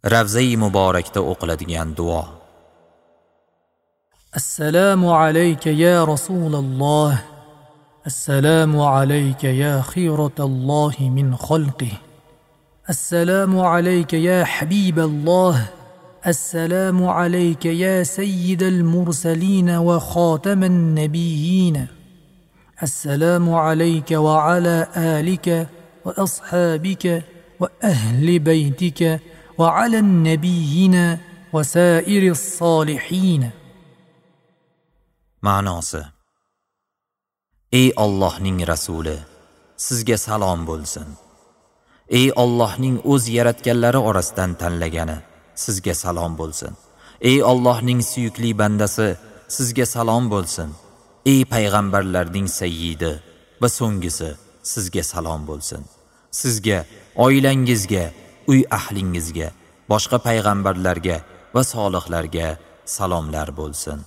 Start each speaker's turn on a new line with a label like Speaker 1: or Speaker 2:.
Speaker 1: Ravzai muborakda o'qiladigan duo.
Speaker 2: Assalomu alayka ya Rasululloh. Assalomu alayka ya xiyratallohi min xalqihi. Assalomu alayka ya habiballoh. Assalomu alayka ya sayyidal mursalin va xotaman nabiyyin. Assalomu alayka va ala alika va ashabika va ahli baytika va ala nabiyyina va sairis solihin.
Speaker 1: Ma'nosi: Ey Allohning rasuli, sizga salom bo'lsin. Ey Allohning o'z yaratganlari orasidan tanlagani, sizga salom bo'lsin. Ey Allohning suyukli bandasi, sizga salom bo'lsin. Ey payg'ambarlarning sayyidi va so'nggisi, sizga salom bo'lsin. Sizga, oilangizga, uy ahlingizga, boshqa payg'ambarlarga va solihlarga salomlar bo'lsin.